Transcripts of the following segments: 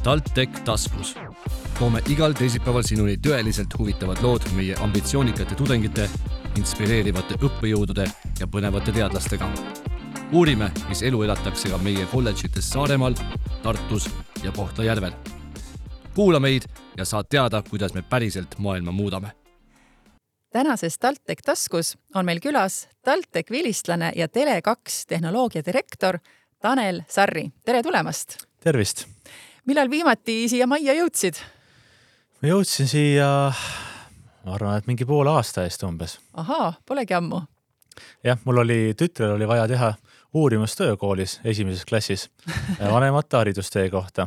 TalTech taskus. Toome igal teisipäeval sinuni tõeliselt huvitavad lood meie ambitsioonikate tudengite, inspireerivate õppejõudude ja põnevate teadlastega. Uurime, mis elu elatakse ka meie kolledžites Saaremaal, Tartus ja Kohtla-Järvel. Kuula meid ja saad teada, kuidas me päriselt maailma muudame. Tänases TalTech taskus on meil külas TalTech vilistlane ja Tele2 tehnoloogia direktor Tanel Sarri. Tere tulemast! Tervist! Millal viimati siia majja jõudsid? Ma jõudsin siia, ma arvan, et mingi poole aasta eest umbes. Ahaa, polegi ammu. Jah, mul tütrel oli vaja teha uurimustöö koolis esimeses klassis vanemate haridustee kohta.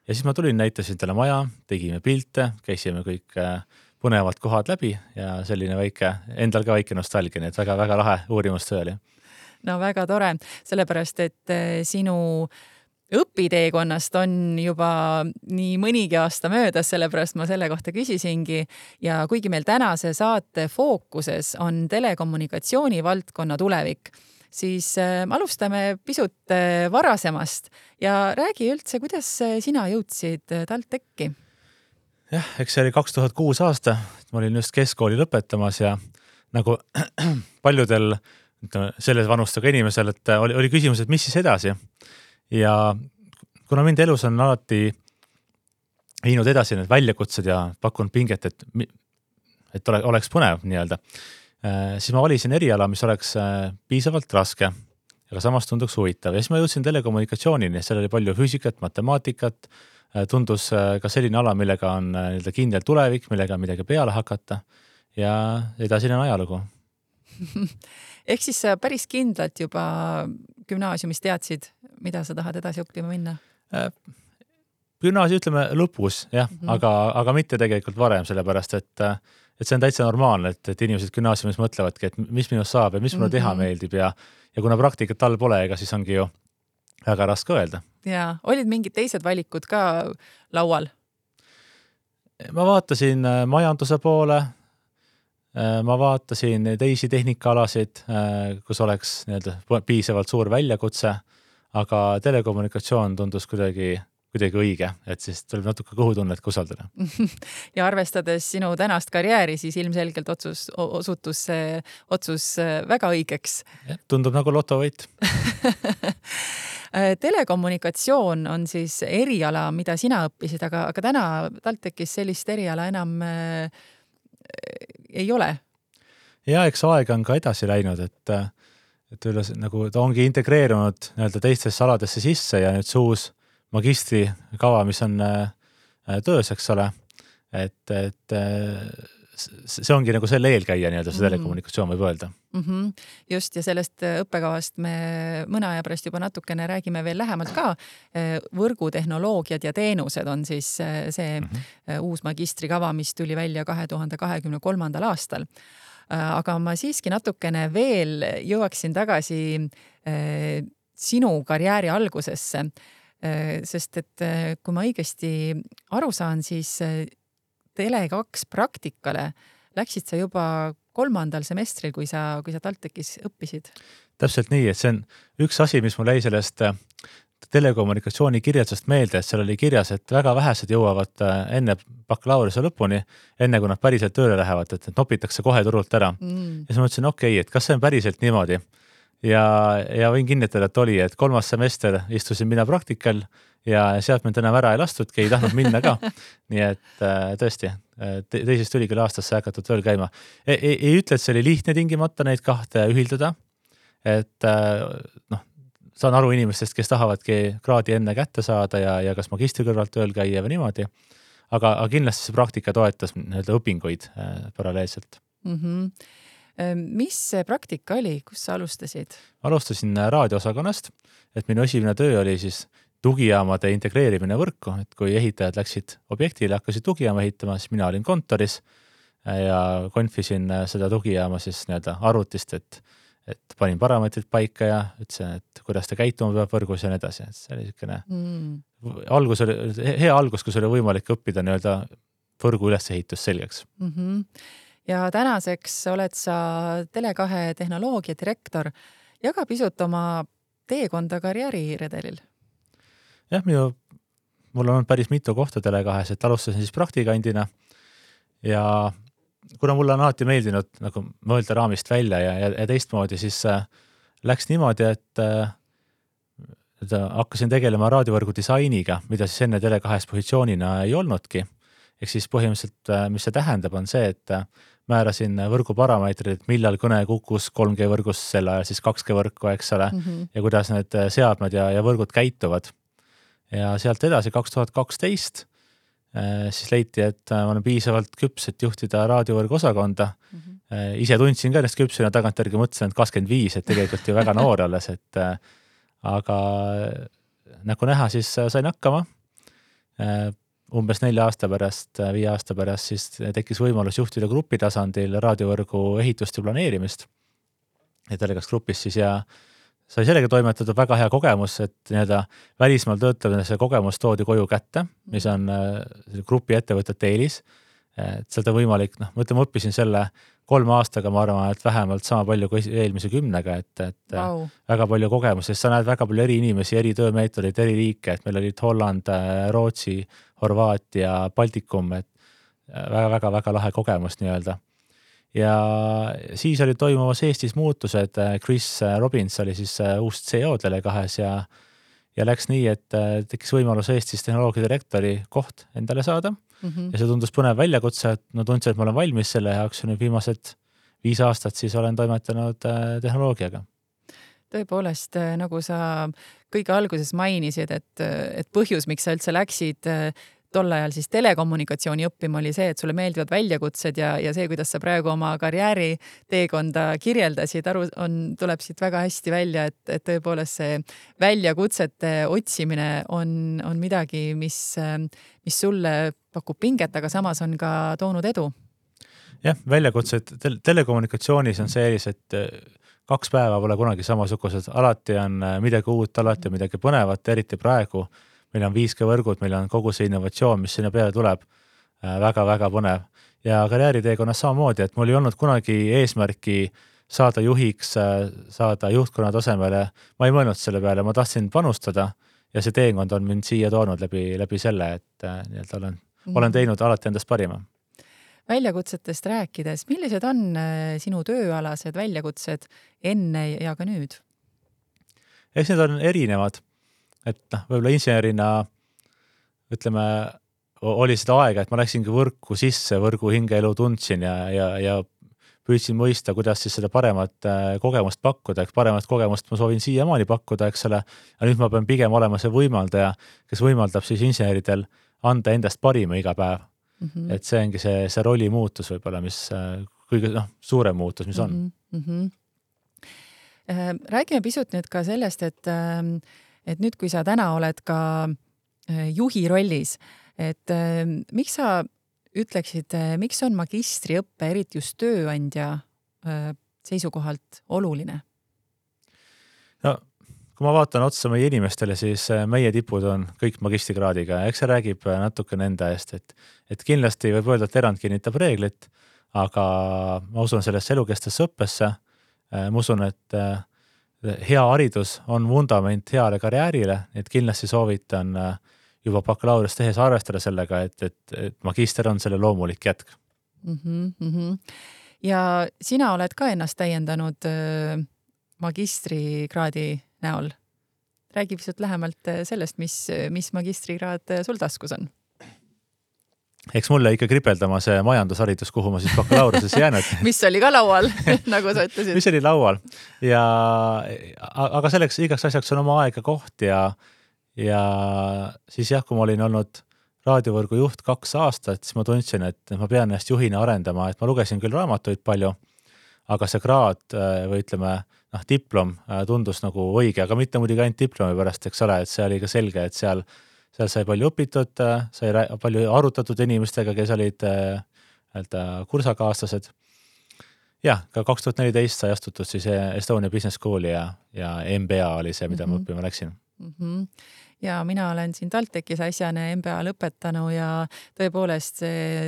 Ja siis ma tulin, näitasin talle maja, tegime pilte, käisime kõik põnevad kohad läbi ja selline endal ka väike nostalgia, nii et väga lahe uurimustöö oli. No väga tore, sellepärast, et sinu õpiteekonnast on juba nii mõnigi aasta möödas, sellepärast ma selle kohta küsisingi. Ja kuigi meil tänase saate fookuses on telekommunikatsiooni valdkonna tulevik, siis alustame pisut varasemast ja räägi üldse, kuidas sina jõudsid TalTechi? Jah, eks see oli 2006 aasta, ma olin just keskkooli lõpetamas ja nagu paljudel selles vanustega inimesel, et oli küsimus, et mis siis edasi. Ja kuna mind elus on alati viinud edasi need väljakutsed ja pakkunud pinget, et oleks põnev nii-öelda, siis ma valisin eriala, mis oleks piisavalt raske, aga samas tunduks huvitav. Ja siis ma jõudsin telekommunikatsioonini, seal oli palju füüsikat, matemaatikat, tundus ka selline ala, millega on kindel tulevik, millega on midagi peale hakata ja edasine on ajalugu. Ehk siis sa päris kindlalt juba gümnaasiumis teadsid, mida sa tahad edasi õppima minna? Gümnaasium ütleme lõpus, jah, aga mitte tegelikult varem, sellepärast, et see on täitsa normaalne, et inimesed gümnaasiumis mõtlevadki, et mis minust saab ja mis mulle teha meeldib ja kuna praktikat all pole, ega siis ongi ju väga raske öelda. Ja olid mingid teised valikud ka laual? Ma vaatasin majanduse poole, ma vaatasin teisi tehnikaalasid, kus oleks piisavalt suur väljakutse, aga telekommunikatsioon tundus kuidagi õige, et siis tuleb natuke kõhutunnet usaldada. Ja arvestades sinu tänast karjääri, siis ilmselgelt osutus otsus väga õigeks. Tundub nagu lotovõit. Telekommunikatsioon on siis eriala, mida sina õppisid, aga täna TalTechis sellist eriala enam ei ole. Ja eks aeg on ka edasi läinud, et nagu ta ongi integreerunud teistesse aladesse sisse ja nüüd see uus magistrikava, mis on töös, eks ole, et see ongi nagu selle eelkäija see telekommunikatsioon võib öelda. Just, ja sellest õppekavast me mõne aja pärast juba natukene räägime veel lähemalt ka. Võrgutehnoloogiad ja teenused on siis see uus magistrikava, mis tuli välja 2023. aastal. Aga ma siiski natukene veel jõuaksin tagasi sinu karjääri algusesse, sest et kui ma õigesti aru saan, siis Tele2 praktikale läksid sa juba 3. semestril, kui sa TalTechis õppisid. Täpselt nii, et see on üks asi, mis mul jäi sellest telekommunikatsiooni kirjeldusest meelde, et seal oli kirjas, et väga vähesed jõuavad enne bakalaureuse lõpuni, enne kui nad päriselt tööle lähevad, et nopitakse kohe turult ära. Ja siis ma mõtlesin, et kas see on päriselt niimoodi? Ja võin kinnitada, et oli, et 3. semester istusin mina praktikal ja sealt mind enam ära ei lastudki, ei tahtnud minna ka. Nii et tõesti, teisest ülikooli aastasse hakatud tööl käima. Ei ütle, et see oli lihtne tingimata neid kahte ühildada, et saan aru inimestest, kes tahavadki kraadi enne kätte saada ja kas magistri kõrvalt tööl käia või niimoodi, aga kindlasti see praktika toetas õpinguid paralleelselt. Mis see praktika oli, kus sa alustasid? Alustasin raadioosakonnast, et minu esimene töö oli siis tugijaamade integreerimine võrku, et kui ehitajad läksid objektile, hakkasid tugijaama ehitama, siis mina olin kontoris ja konfisin seda tugijaama siis arvutist, et panin parameetrid paika ja ütlesin, et kuidas ta käituma peab võrgus ja nii edasi. See oli hea algus, kus oli võimalik õppida võrgu ülesehitus selgeks. Ja tänaseks oled sa Tele2 tehnoloogia direktor. Jaga pisut oma teekonda karjääriredelil. Jah, minu mul on olnud päris mitu kohta Tele2-s, et alustasin siis praktikandina ja kuna mulle on alati meeldinud nagu mõelda raamist välja ja teistmoodi, siis läks niimoodi, et hakkasin tegelema raadiovõrgu disainiga, mida siis enne Tele2-s positsioonina ei olnudki. Ehk siis põhimõtteliselt, mis see tähendab, on see, et määrasin võrgu parameetrid, millal kõne kukkus 3G võrgus sel ajal, siis 2G võrku, eks ole, ja kuidas need seadmed ja võrgud käituvad. Ja sealt edasi 2012 siis leiti, et ma olen piisavalt küps, et juhtida raadiovõrgu osakonda. Ise tundsin ka ennast küpsina, tagantjärgi mõtlesin, et 25, et tegelikult ju väga noor alles, et aga nagu näha, siis sain hakkama. Umbes 4 aasta pärast, 5 aasta pärast siis tekkis võimalus juhtida grupi tasandil raadiovõrgu ehitust ja planeerimist. Ja Tele2 grupis siis ja sai sellega toimetatud väga hea kogemus, et nii-öelda välismaal töötavana see kogemus toodi koju kätte, mis on grupi ettevõtete eelis. Et seda võimalik, ma õppisin selle 3 aastaga, ma arvan, et vähemalt sama palju kui eelmise 10-ga, et Wow. väga palju kogemusi, sa näed väga palju eri inimesi, eri töömeetodid, eri riike, et meil olid Holland, Rootsi, Horvaatia, Baltikum, et väga lahe kogemus nii-öelda. Ja siis oli toimumas Eestis muutused, Chris Robbins oli siis uus CEO Tele2-s ja läks nii, et tekkis võimalus Eestis tehnoloogia direktori koht endale saada. Ja see tundus põnev väljakutse, et tundsin, et ma olen valmis selle jaoks ja nüüd viimased 5 aastat siis olen toimetanud tehnoloogiaga. Tõepoolest, nagu sa kõige alguses mainisid, et põhjus, miks sa üldse läksid tol ajal siis telekommunikatsiooni õppima, oli see, et sulle meeldivad väljakutsed ja see, kuidas sa praegu oma karjääri teekonda kirjeldasid, tuleb siit väga hästi välja, et tõepoolest see väljakutsete otsimine on midagi, mis sulle pakub pinget, aga samas on ka toonud edu. Jah, väljakutsed telekommunikatsioonis on see, et 2 päeva pole kunagi samasugused, alati on midagi uut, alati on midagi põnevat, eriti praegu. Meil on 5G võrgud, meil on kogu see innovatsioon, mis sinna peale tuleb, väga põnev. Ja karjääriteekonnas samamoodi, et mul ei olnud kunagi eesmärki saada juhiks, saada juhtkonna tasemele. Ma ei mõelnud selle peale, ma tahtsin panustada ja see teekond on mind siia toonud läbi selle, et olen teinud alati endast parima. Väljakutsetest rääkides, millised on sinu tööalased väljakutsed enne ja ka nüüd? Eks need on erinevad. Et võib-olla insenerina, ütleme, oli seda aega, et ma läksingi võrku sisse, võrgu hingeelu tundsin ja püüdsin mõista, kuidas siis seda paremat kogemust pakkuda. Paremat kogemust ma soovin siiamaani pakkuda, eks ole. Ja nüüd ma pean pigem olema see võimaldaja, kes võimaldab siis inseneridel anda endast parima iga päev. Et see ongi see rolli muutus võib-olla, mis kõige suurem muutus, mis on. Räägime pisut nüüd ka sellest, et nüüd, kui sa täna oled ka juhi rollis, et miks sa ütleksid, miks on magistriõppe, eriti just tööandja seisukohalt oluline? No, kui ma vaatan otsa meie inimestele, siis meie tipud on kõik magistrikraadiga. Eks see räägib natuke nende eest, et kindlasti võib öelda, et erand kinnitab reeglit, aga ma usun sellesse elukestesse õppesse. Ma usun, et hea haridus on vundament heale karjäärile, et kindlasti soovitan juba bakalaureust tehes arvestada sellega, et magister on selle loomulik jätk. Ja sina oled ka ennast täiendanud magistrikraadi näol. Räägi pisut lähemalt sellest, mis magistrikraad sul taskus on. Eks mulle ikka kripeldama see majandusharidus, kuhu ma siis bakalaureusesse jäänud. Mis oli ka laual, nagu sa ütlesid. Mis oli laual. Aga selleks igaks asjaks on oma aega koht ja siis kui ma olin olnud raadiovõrgu juht 2 aastat, siis ma tundsin, et ma pean ennast juhina arendama, et ma lugesin küll raamatuid palju, aga see kraad või ütleme, diplom tundus nagu õige, aga mitte muidugi ainult diplomi pärast, eks ole, et see oli ka selge, et seal sai palju õpitud, sai palju arutatud inimestega, kes olid kursakaaslased. Jah, ka 2014 sai astutud siis Estonia Business Schooli ja MBA oli see, mida ma õppima läksin. Ja mina olen siin TalTechis äsjane MBA lõpetanu ja tõepoolest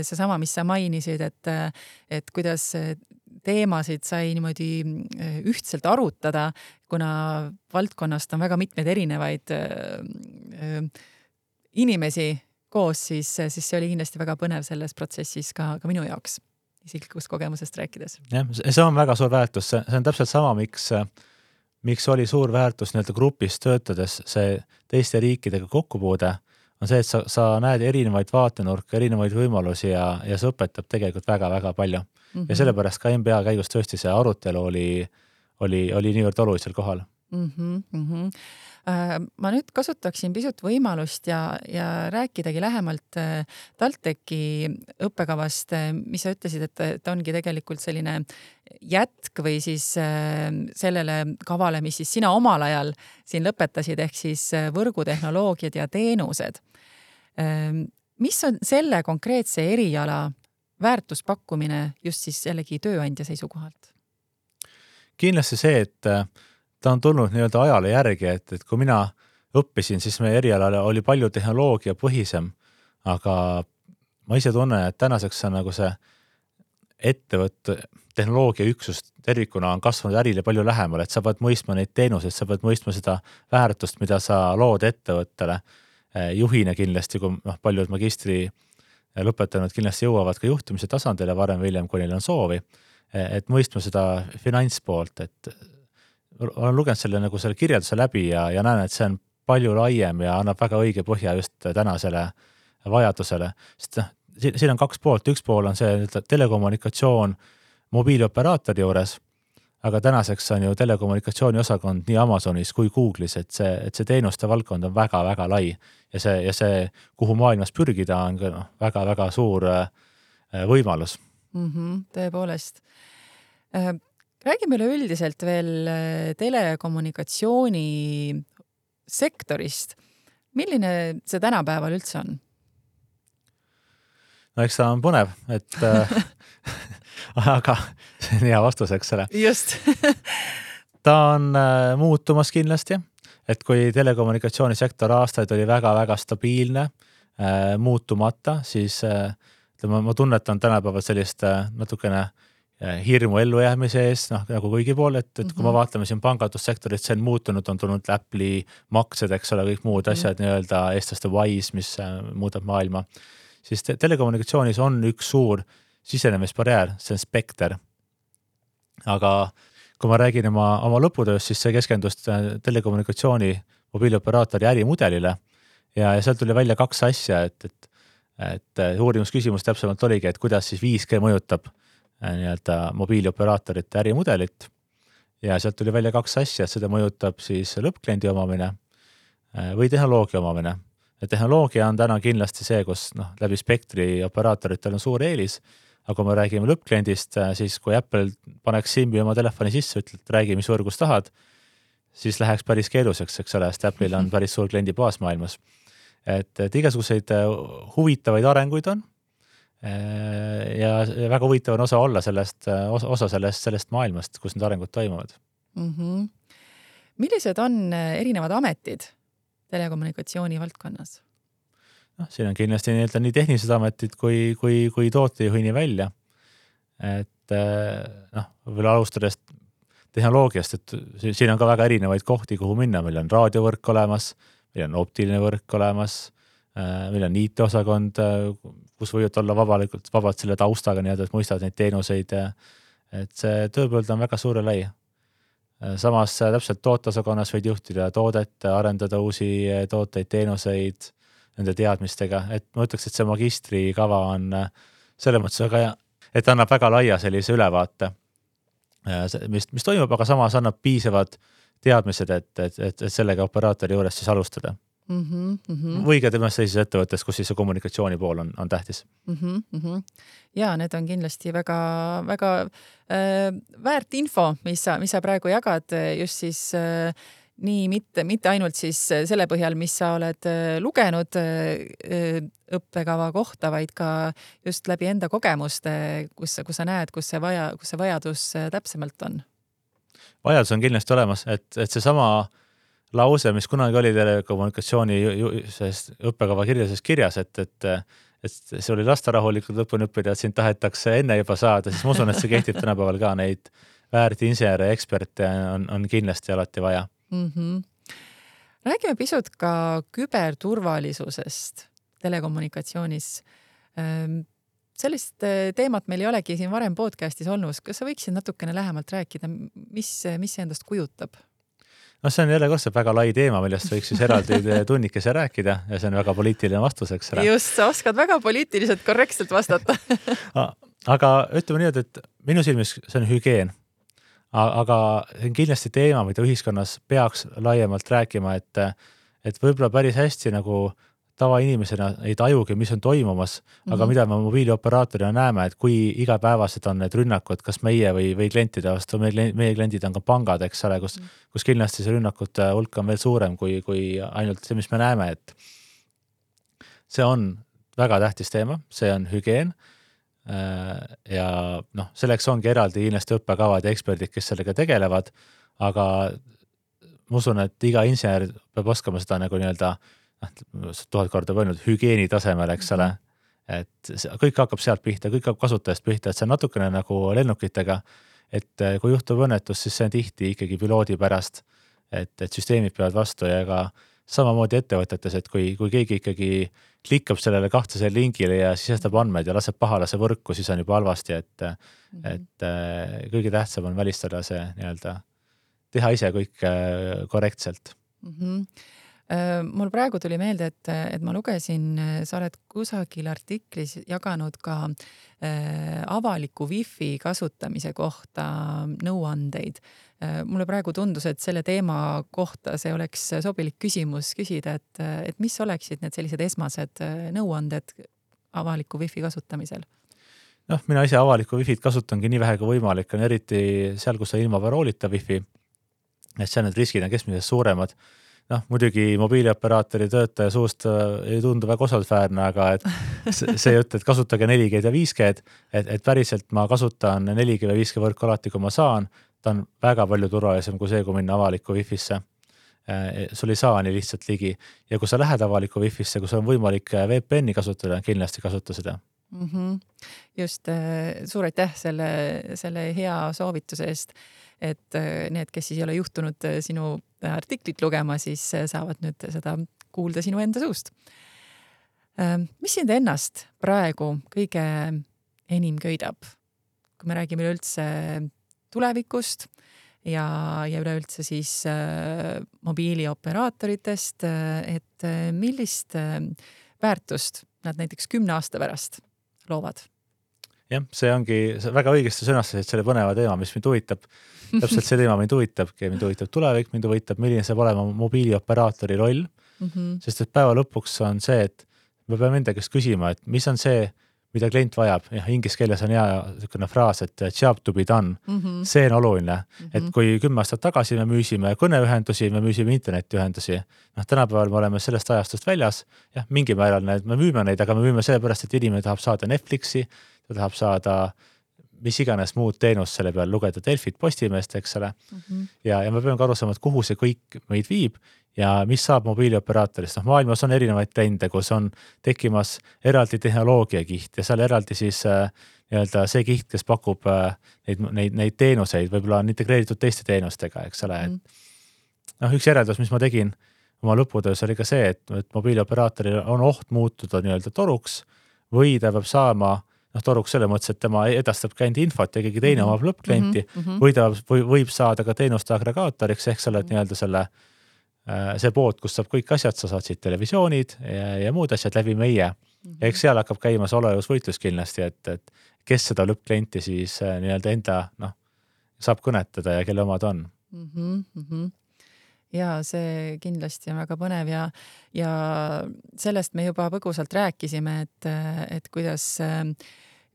seesama, mis sa mainisid, et kuidas teemasid sai niimoodi ühtselt arutada, kuna valdkonnast on väga mitmeid inimesi koos, siis see oli kindlasti väga põnev selles protsessis ka minu jaoks, isiklikust kogemusest rääkides. Jah, see on väga suur väärtus, see on täpselt sama, miks oli suur väärtus nii-öelda grupis töötades see teiste riikidega kokkupuude, on see, et sa näed erinevaid vaatenurke, erinevaid võimalusi ja see õpetab tegelikult väga-väga palju. Ja sellepärast ka MBA käigus tõesti see arutelu oli niivõrd olulisel kohal. Ma nüüd kasutaksin pisut võimalust ja rääkidagi lähemalt TalTechi õppekavast, mis sa ütlesid, et ongi tegelikult selline jätk või siis sellele kavale, mis siis sina omal ajal siin lõpetasid, ehk siis võrgutehnoloogiad ja teenused. Mis on selle konkreetse eriala väärtuspakkumine just siis jällegi tööandja seisukohalt? Kindlasti see, et ta on tulnud nii-öelda ajale järgi, et kui mina õppisin, siis meie erialal oli palju tehnoloogia põhisem, aga ma ise tunnen, et tänaseks on nagu see ettevõtte tehnoloogia üksus tervikuna on kasvanud ärile palju lähemal, et sa pead mõistma neid teenuseid, sa pead mõistma seda väärtust, mida sa lood ettevõttele. Juhina kindlasti, kui paljud magistri lõpetanud kindlasti jõuavad ka juhtimise tasandile varem või hiljem, kui neil on soovi, et mõistma seda finantspoolt, et olen lugenud selle kirjelduse läbi ja näen, et see on palju laiem ja annab väga õige põhja just tänasele vajadusele. Sest siin on kaks poolt, üks pool on see telekommunikatsioon mobiilioperaatori juures, aga tänaseks on ju telekommunikatsiooni osakond nii Amazonis kui Google'is, et see teenuste valdkond on väga-väga lai ja see, kuhu maailmas pürgida, on väga-väga suur võimalus. Tõepoolest. Räägime üleüldiselt veel telekommunikatsiooni sektorist. Milline see tänapäeval üldse on? No eks ta on põnev, et aga see on hea vastus, eks ole. Just. Ta on muutumas kindlasti, et kui telekommunikatsioonisektor aastaid oli väga-väga stabiilne, muutumata, siis ma tunnetan tänapäeval sellist natukene hirmu ellujäämise ees, nagu kõigi pool, et kui me vaatame siin pangandussektorit, see on muutunud, on tulnud Apple'i maksed, eks ole, kõik muud asjad, nii-öelda eestlaste Wise, mis muudab maailma, siis telekommunikatsioonis on üks suur sisenemisbarjäär, see on spekter. Aga kui ma räägin oma lõputöös, siis see keskendus telekommunikatsiooni mobiilioperaatori ärimudelile ja sealt tuli välja kaks asja, et uurimusküsimus täpsemalt oligi, et kuidas siis 5G mõjutab nii-öelda mobiilioperaatorite ärimudelit ja sealt tuli välja kaks asja, et seda mõjutab siis lõppkliendi omamine või tehnoloogia omamine. Ja tehnoloogia on täna kindlasti see, kus läbi spektri operaatoritel on suur eelis, aga kui me räägime lõppkliendist, siis kui Apple paneks Simbi oma telefoni sisse, ütled, räägi, mis võrgus tahad, siis läheks päris keeluseks, eks ole, sest Apple'il on päris suur kliendi baas maailmas. Et igasuguseid huvitavaid arenguid on, ja väga huvitav on osa sellest maailmast, kus need arengud toimuvad. Millised on erinevad ametid telekommunikatsiooni valdkonnas? Siin on kindlasti nii tehnilised ametid kui tootejuhini välja. Et võib-olla alustades tehnoloogiast, et siin on ka väga erinevaid kohti, kuhu minna. Meil on raadiovõrk olemas, meil on optiline võrk olemas, meil on IT-osakond, kus võivad olla vabalt selle taustaga, nii et mõistavad neid teenuseid. Et see tööpõld on väga suure lai. Samas täpselt tooteosakonnas võid juhtida toodet, arendada uusi tooteid, teenuseid nende teadmistega. Et ma ütleks, et see magistrikava on selles mõttes väga hea, et annab väga laia sellise ülevaate, mis toimub, aga samas annab piisavad teadmised, et sellega operaatori juures siis alustada. Või ka temast sellises ettevõttes, kus siis see kommunikatsiooni pool on tähtis. Ja need on kindlasti väga, väga väärt info, mis sa praegu jagad just siis nii mitte ainult siis selle põhjal, mis sa oled lugenud õppekava kohta, vaid ka just läbi enda kogemuste, kus sa näed, kus see vajadus täpsemalt on. Vajadus on kindlasti olemas, et see sama lause, mis kunagi oli telekommunikatsiooni õppekava kirjas, et see oli lasta rahulikult lõpuni õppida, et sind tahetakse enne juba saada, siis ma usun, et see kehtib tänapäeval ka, neid väärt insenere eksperte on kindlasti alati vaja. Räägime pisut ka küberturvalisusest telekommunikatsioonis. Sellist teemat meil ei olegi siin varem podcastis olnud. Kas sa võiksid natukene lähemalt rääkida, mis see endast kujutab? No see on jälle kordselt väga lai teema, millest võiks siis eraldi tunnikese rääkida ja see on väga poliitiline vastus, eks. Just, sa oskad väga poliitiliselt korrektselt vastata. Aga ütleme nii, et minu silmis see on hügieen. Aga see on kindlasti teema, mida ühiskonnas peaks laiemalt rääkima, et võib-olla päris hästi nagu tavainimesena ei tajugi, mis on toimumas, aga mida me mobiilioperaatorina näeme, et kui igapäevased on need rünnakud, kas meie või klientide vastu, meie kliendid on ka pangad, eks ole, kus kindlasti see rünnakute hulk on veel suurem kui ainult see, mis me näeme, et see on väga tähtis teema, see on hügieen ja selleks ongi eraldi kindlasti õppekavad ja eksperdid, kes sellega tegelevad, aga ma usun, et iga insener peab oskama seda nagu nii-öelda 1000 korda võinud hügieeni tasemel, eks ole, et kõik hakkab sealt pihta, kõik hakkab kasutajast pihta, et see on natukene nagu lennukitega, et kui juhtub õnnetus, siis see on tihti ikkagi piloodi pärast, et süsteemid peavad vastu ja ka samamoodi ettevõtetes, et kui keegi ikkagi klikkab sellele kahtlase lingile ja sisestab andmed ja laseb pahalase võrku, siis on juba halvasti, et kõige tähtsam on välistada see nii-öelda, teha ise kõik korrektselt. Mul praegu tuli meelde, et ma lugesin, sa oled kusagil artiklis jaganud ka avaliku wifi kasutamise kohta nõuandeid. Mulle praegu tundus, et selle teema kohta see oleks sobilik küsimus küsida, et mis oleksid need sellised esmased nõuanded avaliku wifi kasutamisel? Mina ise avaliku wifi't kasutangi nii vähe kui võimalik, on eriti seal, kus on ilma paroolita wifi, et seal need riskid on keskmisest suuremad. Muidugi mobiilioperaatori töötaja suust ei tundu väga osaldväärne, aga et see jutt, et kasutage 4G ja 5G, et päriselt ma kasutan 4G ja 5G võrku alati, kui ma saan, ta on väga palju turvalisem kui see, kui minna avaliku wifi'sse. Sul ei saa nii lihtsalt ligi. Ja kui sa lähed avaliku wifi'sse, kui sul on võimalik VPN-i kasutada, kindlasti kasuta seda. Just, suur aitäh selle hea soovituse eest, et need, kes siis ei ole juhtunud sinu artiklit lugema, siis saavad nüüd seda kuulda sinu enda suust. Mis sind ennast praegu kõige enim köidab, kui me räägime üleüldse tulevikust ja üleüldse siis mobiilioperaatoritest, et millist väärtust nad näiteks 10 aasta pärast loovad? Jah, see ongi väga õigesti sõnastasid selle põneva teema, mis mind huvitab. Täpselt see teema mind huvitab tulevik, mind huvitab, milline saab olema mobiilioperaatori roll, sest et päeva lõpuks on see, et me peame enda käest küsima, et mis on see, mida klient vajab. Inglise keeles on hea fraas, et job to be done. See on oluline, et kui 10 aastat tagasi me müüsime kõneühendusi, me müüsime internetiühendusi. Tänapäeval me oleme sellest ajastust väljas. Ja mingi määral me müüme neid, aga me müüme sellepärast, et inimene tahab saada Netflixi, ta tahab saada mis iganes muud teenust selle peal, lugeda Delfit, Postimeest, eks ole. Ja me peame ka aru saama, et kuhu see kõik meid viib ja mis saab mobiilioperaatorist. Maailmas on erinevaid trende, kus on tekkimas eraldi tehnoloogiakiht ja seal eraldi siis nii-öelda see kiht, kes pakub neid teenuseid, võib-olla on integreeritud teiste teenustega, eks ole. Üks järeldus, mis ma tegin oma lõputöös, oli ka see, et mobiilioperaatoril on oht muutuda nii-öelda toruks või ta peab saama toruks selle mõttes, et tema edastab ka enda infot ja keegi teine omab lõppklienti või ta võib saada ka teenuste agregaatoriks ehk sa oled nii-öelda see pood, kus saab kõik asjad, sa saad siit televisioonid ja muud asjad läbi meie. Eks seal hakkab käima see olevusvõitlus kindlasti, et kes seda lõppklienti siis nii-öelda enda saab kõnetada ja kelle omad on. Ja see kindlasti on väga põnev ja sellest me juba põgusalt rääkisime, et kuidas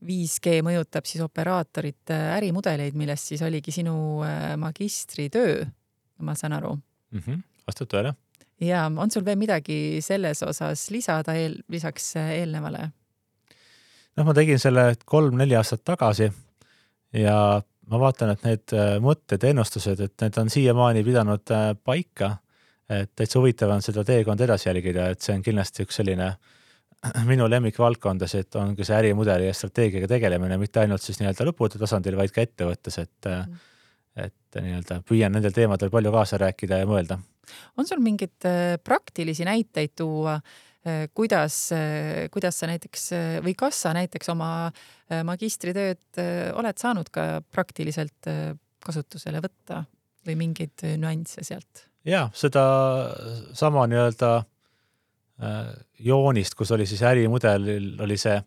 5G mõjutab siis operaatorite ärimudeleid, millest siis oligi sinu magistritöö, ma saan aru. Vastab tõele. Ja on sul veel midagi selles osas lisada lisaks eelnevale? Ma tegin selle 3-4 aastat tagasi ja ma vaatan, et need mõtted, ennustused, et need on siiamaani pidanud paika, et täitsa huvitav on seda teekond edasi jälgida, et see on kindlasti üks selline minu lemmikvaldkondas, et ongi see ärimudeli ja strateegiaga tegelemine, mitte ainult siis nii-öelda lõpude tasandil, vaid ka ettevõttes, et nii-öelda püüan nendel teemadel palju kaasa rääkida ja mõelda. On sul mingid praktilisi näiteid tuua, kuidas sa näiteks või kas sa näiteks oma magistritööd oled saanud ka praktiliselt kasutusele võtta või mingeid nüansse sealt? Jaa, seda sama nii-öelda joonist, kus oli siis ärimudelil oli see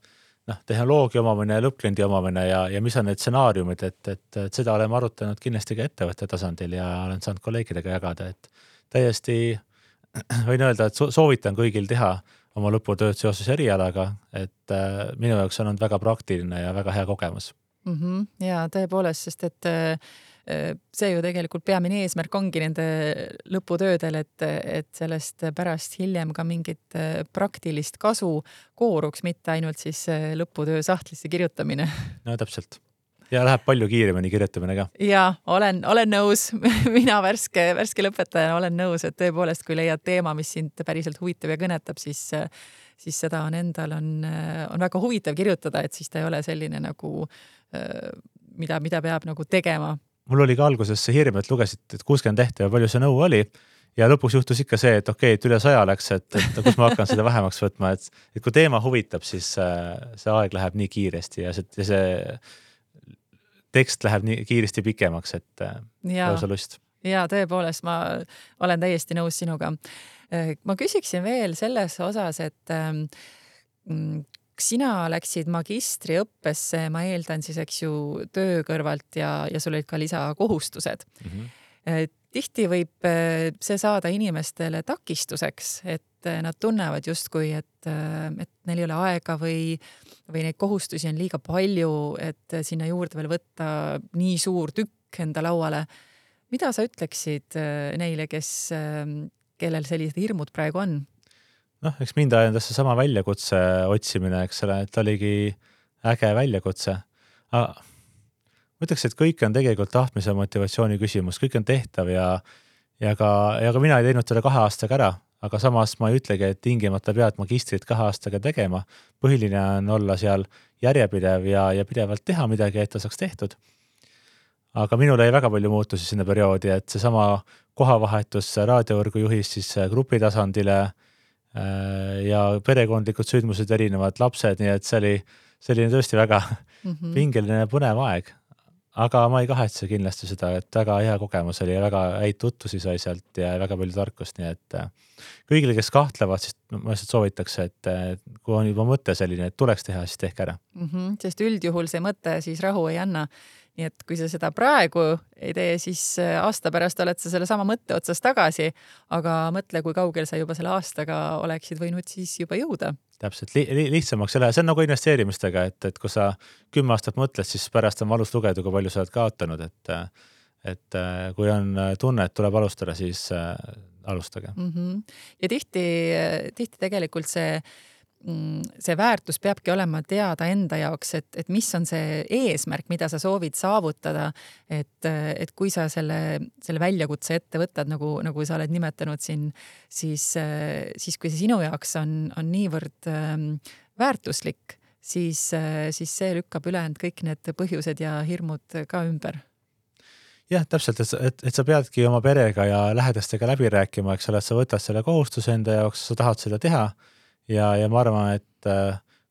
tehnoloogia omamine ja lõppkliendi omamine ja mis on need stsenaariumid, et seda oleme arutanud kindlasti ka ettevõtte tasandil ja olen saanud kolleegidega jagada, et täiesti võin öelda, et soovitan kõigil teha oma lõputööd seoses erialaga, et minu jaoks on olnud väga praktiline ja väga hea kogemus. Ja tõepoolest, sest et see ju tegelikult peamine eesmärk ongi nende lõputöödel, et sellest pärast hiljem ka mingit praktilist kasu kooruks, mitte ainult siis lõputöö sahtlisse kirjutamine. No täpselt. Ja läheb palju kiiremini kirjutamine ka. Ja olen nõus. Mina värske lõpetajana olen nõus, et tõepoolest, kui leiad teema, mis sind päriselt huvitab ja kõnetab, siis seda on endal on väga huvitav kirjutada, et siis ta ei ole selline nagu, mida peab nagu tegema. Mul oli ka alguses see hirm, et lugesid, et 60 tehte ja palju see nõu oli ja lõpuks juhtus ikka see, et okei, et üle 100 läks, et kus ma hakkan seda vähemaks võtma, et kui teema huvitab, siis see aeg läheb nii kiiresti ja see tekst läheb nii kiiresti pikemaks, et lausa lust. Ja tõepoolest, ma olen täiesti nõus sinuga. Ma küsiksin veel selles osas, et sina läksid magistriõppesse, ma eeldan siis, eks ju, töö kõrvalt ja sul olid ka lisakohustused. Tihti võib see saada inimestele takistuseks, et nad tunnevad justkui, et neil ei ole aega või neid kohustusi on liiga palju, et sinna juurde veel võtta nii suur tükk enda lauale. Mida sa ütleksid neile, kellel sellised hirmud praegu on? Eks mind ajendas see sama väljakutse otsimine, eks ole, et oligi äge väljakutse. Ma ütleks, et kõik on tegelikult tahtmise ja motivatsiooni küsimus, kõik on tehtav ja ka mina ei teinud seda 2 aastaga ära, aga samas ma ei ütlegi, et tingimata pead magistrit 2 aastaga tegema. Põhiline on olla seal järjepidev ja pidevalt teha midagi, et ta saaks tehtud. Aga minul ei väga palju muutusi sinna perioodi, et see sama kohavahetus raadiovõrgu juhist siis grupi tasandile ja perekondlikud sündmused, erinevad lapsed, nii et see oli selline tõesti väga pingeline põnev aeg. Aga ma ei kahetse kindlasti seda, et väga hea kogemus oli ja väga häid tutvusi sai sealt ja väga palju tarkust, nii et kõigile, kes kahtlevad, siis ma lihtsalt soovitaks, et kui on juba mõte selline, et tuleks teha, siis tehke ära. Sest üldjuhul see mõte siis rahu ei anna. Nii et kui sa seda praegu ei tee, siis aasta pärast oled sa selle sama mõtte otsas tagasi, aga mõtle, kui kaugel sa juba selle aastaga oleksid võinud siis juba jõuda. Täpselt, lihtsamaks ei lähe. See on nagu investeerimistega, et kui sa 10 aastat mõtled, siis pärast on valus lugeda, kui palju sa oled kaotanud, et kui on tunne, et tuleb alustada, siis alustage. Ja tihti tegelikult see väärtus peabki olema teada enda jaoks, et mis on see eesmärk, mida sa soovid saavutada, et kui sa selle väljakutse ette võtad, nagu sa oled nimetanud siin, siis kui see sinu jaoks on niivõrd väärtuslik, siis see lükkab ülejäänud kõik need põhjused ja hirmud ka ümber. Jah, täpselt, et sa peadki oma perega ja lähedastega läbi rääkima, eks ole, et sa võtad selle kohustuse enda jaoks, sa tahad seda teha. Ja ma arvan, et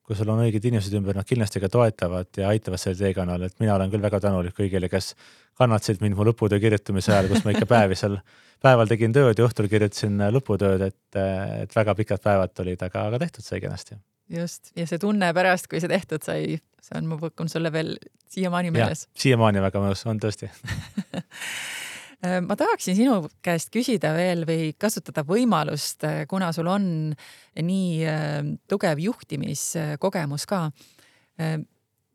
kui sul on õiged inimesed ümber, nad kindlasti ka toetavad ja aitavad selle teekonnal, et mina olen küll väga tänulik kõigile, kes kannatasid mind mu lõputöö kirjutamise ajal, kus ma ikka päeval tegin tööd ja õhtul kirjutasin lõputööd, et väga pikad päevad olid, aga tehtud sai kenasti. Just, ja see tunne pärast, kui see tehtud sai, see on mu põkkun sulle veel siiamaani meeles. Ja, siiamaani väga mõnus, on tõesti. Ma tahaksin sinu käest küsida veel või kasutada võimalust, kuna sul on nii tugev juhtimiskogemus ka.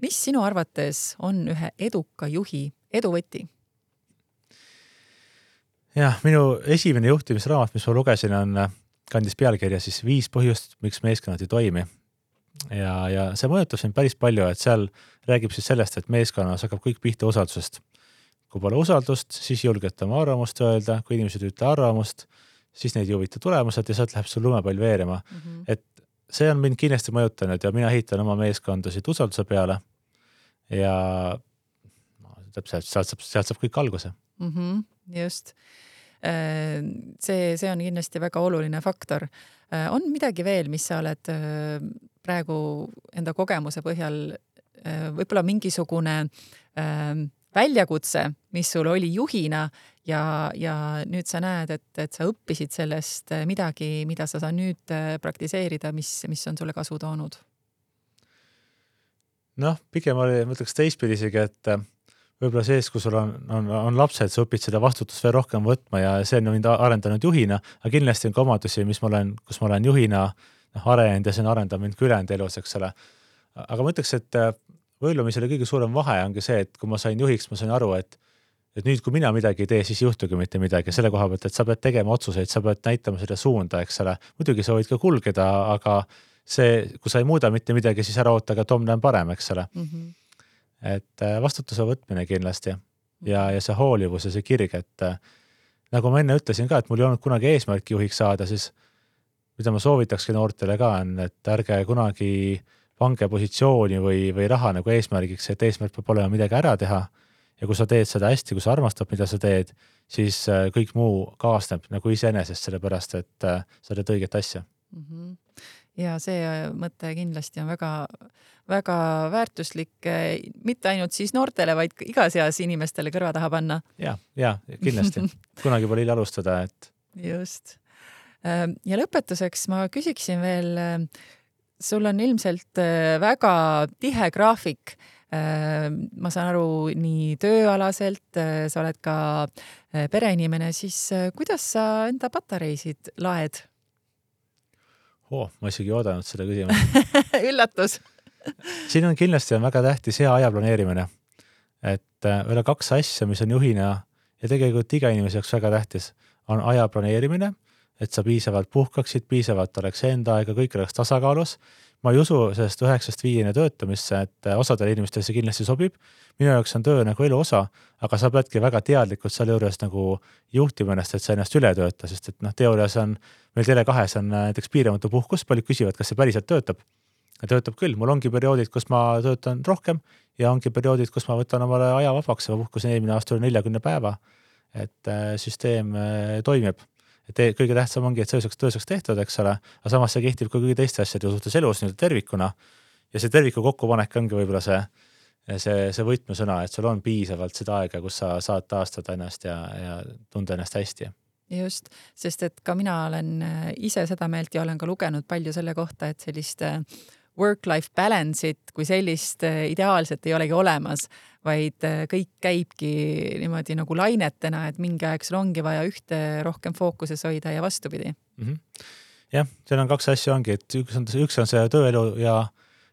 Mis sinu arvates on ühe eduka juhi eduvõti? Jah, minu esimene juhtimisraamat, mis ma lugesin, kandis pealkirja siis 5 põhjust, miks meeskonnad ei toimi. Ja see mõjutab siin päris palju, et seal räägib siis sellest, et meeskonnas hakkab kõik pihta usaldusest. Kui pole usaldust, siis julgete oma arvamust öelda, kui inimesed ütle arvamust, siis neid ei huvita tulemused ja sealt läheb sul lumepall veerema. Et see on mind kindlasti mõjutanud ja mina ehitan oma meeskondasid usalduse peale ja täpselt, sealt saab kõik alguse. Just. See on kindlasti väga oluline faktor. On midagi veel, mis sa oled praegu enda kogemuse põhjal võib-olla mingisugune väljakutse, mis sul oli juhina ja nüüd sa näed, et sa õppisid sellest midagi, mida sa saad nüüd praktiseerida, mis on sulle kasu toonud? Pigem oli, ma ütleks teistpidi isegi, et võib-olla sees, kui sul on lapsed, sa õpid seda vastutust veel rohkem võtma ja see on mind arendanud juhina, aga kindlasti on ka omadusi, kus ma olen juhina arenenud ja see on arendanud mind ülejäänud elus, eks ole. Aga ma ütleks, et võilumisele kõige suurem vahe ongi see, et kui ma sain juhiks, ma sain aru, et nüüd, kui mina midagi ei tee, siis ei juhtugi mitte midagi selle koha pealt, et sa pead tegema otsuseid, sa pead näitama seda suunda, eks ole. Muidugi sa võid ka kulgeda, aga kui sa ei muuda mitte midagi, siis ära oota, aga Tom näen parem, eks ole. Et vastutuse võtmine kindlasti ja see hoolivus ja see kirg, et nagu ma enne ütlesin ka, et mul ei olnud kunagi eesmärki juhiks saada, siis mida ma soovitakski noortele ka on, et ärge kunagi pange positsiooni või raha nagu eesmärgiks, et eesmärk peab olema midagi ära teha ja kui sa teed seda hästi, kui sa armastad, mida sa teed, siis kõik muu kaasneb nagu iseenesest, sellepärast, et sa teed õiget asja. Ja see mõte kindlasti on väga, väga väärtuslik, mitte ainult siis noortele, vaid igas eas inimestele kõrva taha panna. Ja kindlasti. Kunagi pole hilja alustada, et... Just. Ja lõpetuseks ma küsiksin veel, sul on ilmselt väga tihe graafik. Ma saan aru nii tööalaselt, sa oled ka pereinimene, siis kuidas sa enda patareisid laed? Ma isegi oodanud seda küsimust. Üllatus. Siin on kindlasti väga tähtis hea aja planeerimine. Et üle 2 asja, mis on juhina ja tegelikult iga inimese jaoks väga tähtis, on aja planeerimine, et sa piisavalt puhkaksid, piisavalt oleks enda aega, kõik oleks tasakaalus. Ma ei usu sellest 9-5 töötamisse, et osadele inimestele see kindlasti sobib. Minu jaoks on töö nagu elu osa, aga sa peadki väga teadlikult selle juures nagu juhtima ennast, et sa ennast üle tööta, sest et teoorias on meil Tele2 on näiteks piiramatu puhkus, paljud küsivad, kas see päriselt töötab. Ja töötab küll, mul ongi perioodid, kus ma töötan rohkem ja ongi perioodid, kus ma võtan omale aja vabaks ja puhkusin eelmine aasta 40 päeva, et süsteem toimib. Et kõige tähtsam ongi, et see tööseks tehtud, eks ole, aga samas see kehtib ka kõige teiste asjade suhtes elus tervikuna ja see terviku kokkupanek ongi võib-olla see võtmesõna, et sul on piisavalt seda aega, kus sa saad taastada ennast ja tunda ennast hästi. Just, sest et ka mina olen ise seda meelt ja olen ka lugenud palju selle kohta, et sellist work-life balance'it kui sellist ideaalselt ei olegi olemas, vaid kõik käibki niimoodi nagu lainetena, et mingi aeg sul ongi vaja ühte rohkem fookuses hoida ja vastupidi. Jah, seal on 2 asja ongi, et üks on see tööelu ja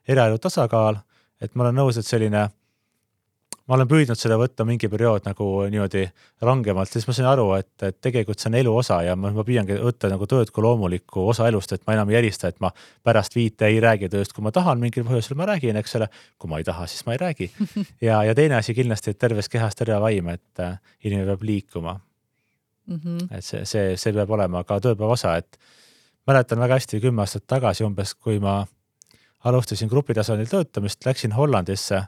eraelu tasakaal, et ma olen nõus, et ma olen püüdnud seda võtta mingi periood nagu niimoodi rangemalt, siis ma sain aru, et tegelikult see on elu osa ja ma püüangi võtta nagu tööd kui loomulikku osa elust, et ma enam ei järista, et ma pärast 5 ei räägi tööst, kui ma tahan, mingil põhjusel ma räägin, eks ole, kui ma ei taha, siis ma ei räägi. Ja teine asi kindlasti, et terves kehas terve vaim, et inimene peab liikuma. Et see peab olema ka tööpäeva osa, et mäletan väga hästi 10 aastat tagasi umbes, kui ma alustasin grupitasandil töötamist, läksin Hollandisse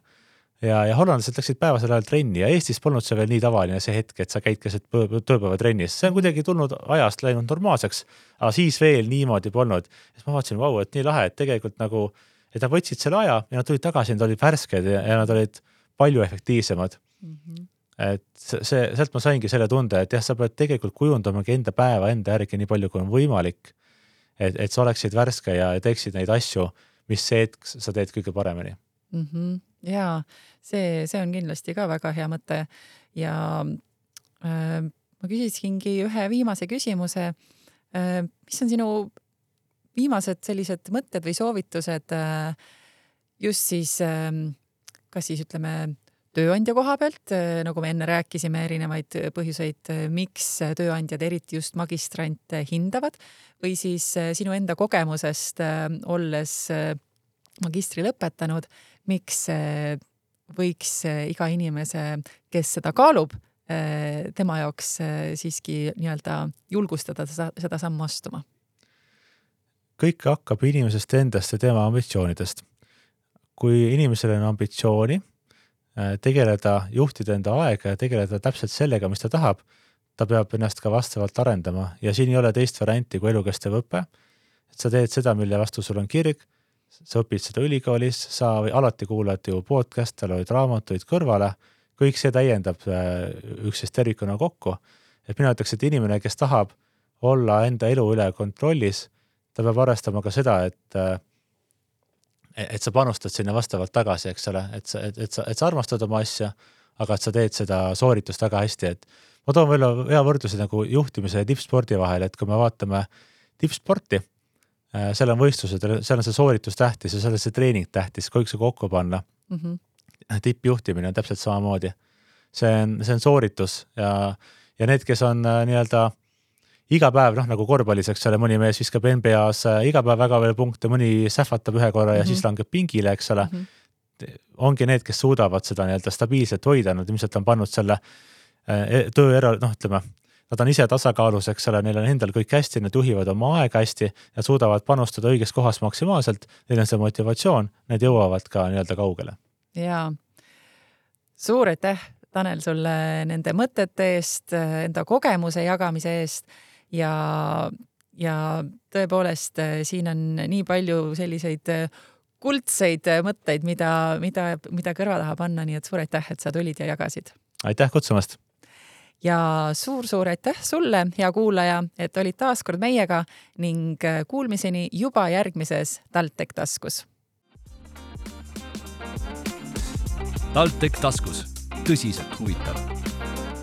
ja hollandlased läksid päevasel ajal trenni ja Eestis polnud see veel nii tavaline see hetk, et sa käid keset tööpäeva trennis. See on kuidagi tulnud ajast läinud normaalseks, aga siis veel niimoodi polnud. Ja ma vaatasin, et nii lahe, et tegelikult nagu, et nad võtsid selle aja ja nad tulid tagasi, nad olid värsked ja nad olid palju efektiivsemad. Et sealt ma saingi selle tunde, et jah, sa pead tegelikult kujundamagi enda päeva enda järgi nii palju, kui on võimalik, et sa oleksid värske ja teeksid neid asju, mis see hetk sa teed kõige paremini. Jaa, see on kindlasti ka väga hea mõte ja ma küsisingi ühe viimase küsimuse. Mis on sinu viimased sellised mõtted või soovitused just siis, kas siis ütleme tööandja koha pealt, nagu me enne rääkisime erinevaid põhjuseid, miks tööandjad eriti just magistrante hindavad või siis sinu enda kogemusest olles magistri lõpetanud, miks võiks iga inimese, kes seda kaalub, tema jaoks siiski nii-öelda julgustada seda sammu astuma? Kõik hakkab inimesest endast ja tema ambitsioonidest. Kui inimesel on ambitsiooni, tegeleda, juhtida enda aega ja tegeleda täpselt sellega, mis ta tahab, ta peab ennast ka vastavalt arendama ja siin ei ole teist varianti kui elukestev õpe. Et sa teed seda, mille vastu sul on kirg, sa õpid seda ülikoolis, sa alati kuulad ju podcast'e, loed raamatuid kõrvale, kõik see täiendab üksteist tervikuna kokku. Et mina ütleks, et inimene, kes tahab olla enda elu üle kontrollis, ta peab arvestama ka seda, et sa panustad sinna vastavalt tagasi, eks ole, et sa armastad oma asja, aga et sa teed seda sooritust väga hästi, et ma toon veel hea võrdluse nagu juhtimise ja tippspordi vahel, et kui me vaatame tippsporti, seal on võistlused, seal on see sooritus tähtis ja seal on see treening tähtis, kõik see kokku panna. Tippjuhtimine on täpselt samamoodi. See on sooritus ja need, kes on nii-öelda iga päev, nagu korvpallis, eks ole, mõni mees viskab NBA-s iga päev väga veel punkte, mõni sähvatab ühe korra ja siis langeb pingile, eks ole. Ongi need, kes suudavad seda nii-öelda stabiilselt hoida, nad ilmselt on pannud selle töö nad on ise tasakaalus, eks ole, neil on endal kõik hästi, nad juhivad oma aega hästi ja suudavad panustada õiges kohas maksimaalselt, neil on see motivatsioon, need jõuavad ka nii-öelda kaugele. Jaa, suur aitäh, Tanel, sulle nende mõtete eest, enda kogemuse jagamise eest ja tõepoolest siin on nii palju selliseid kuldseid mõtteid, mida kõrva taha panna, nii et suur aitäh, et sa tulid ja jagasid. Aitäh kutsumast! Ja suur aitäh sulle, hea kuulaja, et olid taas kord meiega ning kuulmiseni juba järgmises TalTech taskus. TalTech taskus. Tõsiselt huvitav.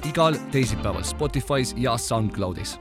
Igal teisipäeval Spotify's ja SoundCloudis.